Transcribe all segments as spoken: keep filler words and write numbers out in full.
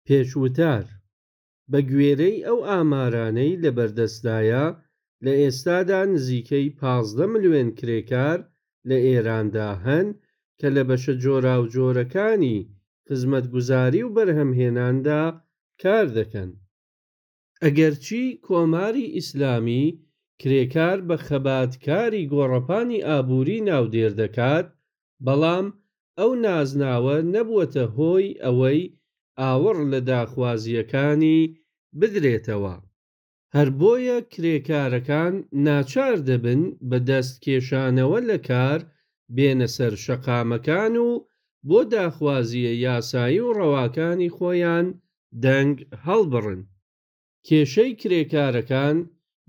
پێش وتار: بە گوێرەی ئەو ئامارانەی لە بەردەستدایە، لە ئێستادا نزیکەی پازدە ملیۆن کرێکار لە ئێراندا هەن کە لە بەشە جۆراوجۆرەکانی خزمەتگوزاری و بەرهەمهێناندا کار دەکەن. ئەگەرچی کۆماری ئیسلامی کرێکار بە خەباتکاری گۆڕەپانی ئابووری ناودێر دەکات، بەڵام ئەو نازناوە نەبووەتە هۆی ئەوەی ئاوڕ لە داخوازییەکانی بدرێتەوە. هەر بۆیە کرێکارەکان ناچار دەبن بە دەست کێشانەوە لە کار بێنە سەر شەقامەکان و بۆ داخوازییە یاسایی و ڕەواکانی خۆیان دەنگ هەڵبڕن. کێشەی کرێکارەکان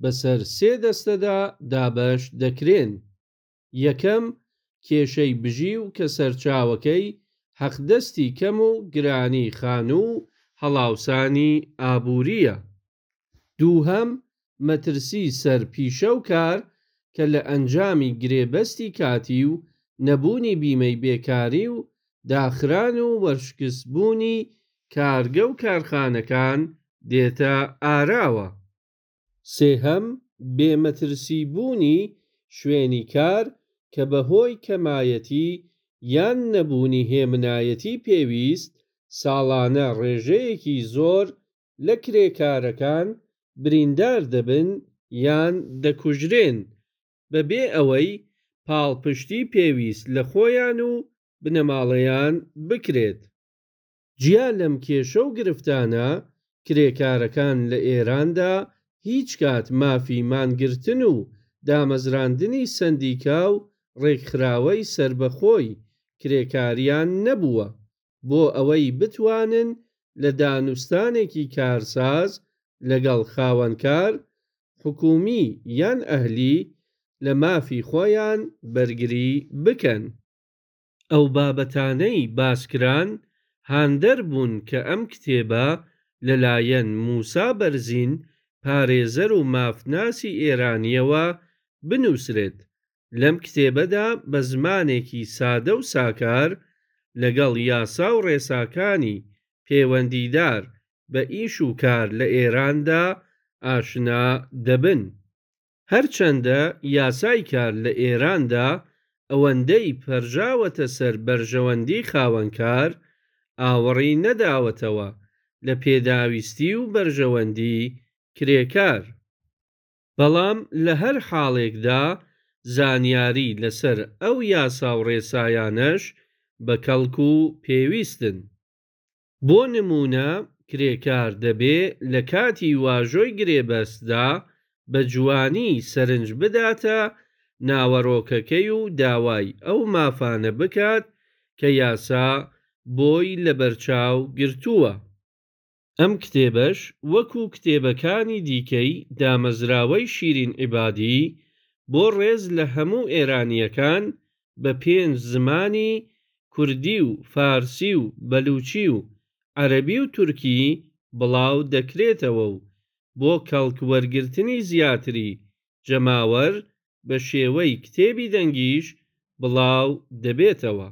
بەسەر سێ دەستەدا دابەش دەکرێن: یەکەم، کێشەی بژیو کە سەرچاوەکەی حەقدەستی کەم و گرانی خانوو و هەڵاوسانی ئابوورییە. دووهەم، مەترسی سەر پیشە و کار کە لە ئەنجامی گرێبەستی کاتی و نەبوونی بیمەی بێکاری و داخران و وەرشکستبوونی کارگە و کارخانەکان دێتە ئاراوە. سێهەم، بێ مەترسی بوونی شوێنی کار کە بە هۆی کەمایەتی یان نەبوونی هێمنایەتی پێویست، ساڵانە ڕێژەیەکی زۆر لە کرێکارەکان بریندار دەبن یان دەکوژرێن، بەبێ ئەوەی پاڵپشتی پێویست لە خۆیان و بنەماڵەیان بکرێت. جیا لەم کێشە و گرفتانە، کرێکارەکان لە ئێراندا هیچکات مافی مانگرتن و دامەزراندنی سەندیکا و ڕێکخراوەی سەربەخۆی کرێکارییان نەبووە، بۆ ئەوەی بتوانن لە دانوستانێکی کارساز لەگەڵ خاوەنکار، حکوومی یان ئەهلی، لە مافی خۆیان بەرگری بکەن. ئەو بابەتانەی باس کران، هاندەر بوون کە ئەم کتێبە لەلایەن مووسا بەرزین پارێزەر و مافناسی ئێرانییەوە بنووسرێت. لەم کتێبەدا بە زمانێکی سادە و ساکار لەگەڵ یاسا و ڕێساکانی پێوەندیدار بە ئیش و کار لە ئێراندا ئاشنا دەبن. هەرچەندە یاسای کار لە ئێراندا ئەوەندەی پەرژاوەتە سەر بەرژەوەندیی خاوەنکار، ئاوڕی نەداوەتەوە لە پێداویستی و بەرژەوەندیی کرێکار. بەڵام لە هەر حاڵێکدا زانیاری لەسەر ئەو یاسا و ڕێسایانەش بەکەڵک و پێویستن. بۆ نموونە کرێکار دەبێ لە کاتی واژۆی گرێبەستدا بە جوانی سەرنج بداتە ناوەڕۆکەکەی و داوای ئەو مافانە بکات کە یاسا بۆی لەبەرچاو گرتووە. ئەم کتێبەش وەکوو کتێبەکانی دیکەی دامەزراوەی شیرین عیبادی، بۆ ڕێز لە هەموو ئێرانییەکان بە پێنج زمانی کوردی و فارسی و بەلووچی و عەرەبی و تورکی بڵاو دەکرێتەوە و بۆ کەڵک وەرگرتنی زیاتری جەماوەر بە شێوەی کتێبی دەنگیش بڵاو دەبێتەوە.